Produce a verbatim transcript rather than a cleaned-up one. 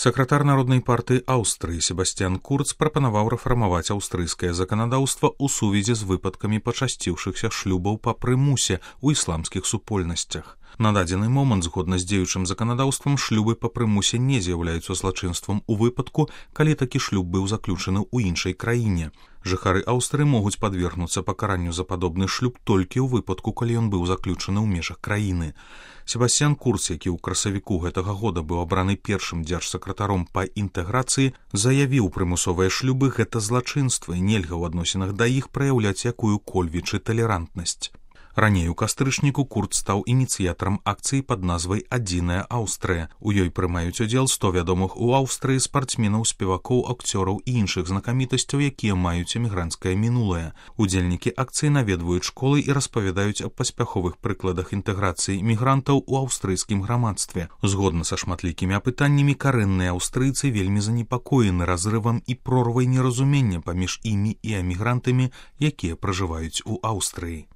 Сакратар Народнай партыі Аўстрыі Себасцьян Курц прапанаваў рэфармаваць аўстрыйскае заканадаўства ў сувязі з выпадкамі пачасціўшыхся шлюбаў па прымусе ў ісламскіх супольнасцях. На дадзены момант, згодна з дзеючым заканадаўствам, шлюбы па прымусе не з'яўляюцца злачынствам у выпадку, калі такі шлюб быў заключаны ў іншай краіне. Жыхары Аўстрыі могуць падвергнуцца пакаранню за падобны шлюб толькі ў выпадку, калі ён быў заключаны ў межах краіны. Себасцьян Курц, які ў красавіку гэтага года быў абраны першым дзяржсакратаром па інтэграцыі, заявіў, прымусовыя шлюбы гэта злачынства і нельга ў адносінах да іх праяўляць якую-кольвічы талерантнасць. Раней у кастрычніку Курц стаў ініцыятарам акцыі пад назвай «Адзіная Аўстрыя». У ёй прымаюць удзел сто вядомых у Аўстрыі спартсменаў, спевакоў, акцёраў і іншых знакамітасцяў, якія маюць эмігранцкае мінулае. Удзельнікі акцыі наведваюць школы і распавядаюць аб паспяховых прыкладах інтэграцыі мігрантаў у аўстрыйскім грамадстве. Згодна са шматлікімі апытаннямі, карэнныя аўстрыйцы вельмі занепакоены разрывам і прорвай неразумення паміж імі і эмігрантамі, якія пражываюць у Аўстрыі.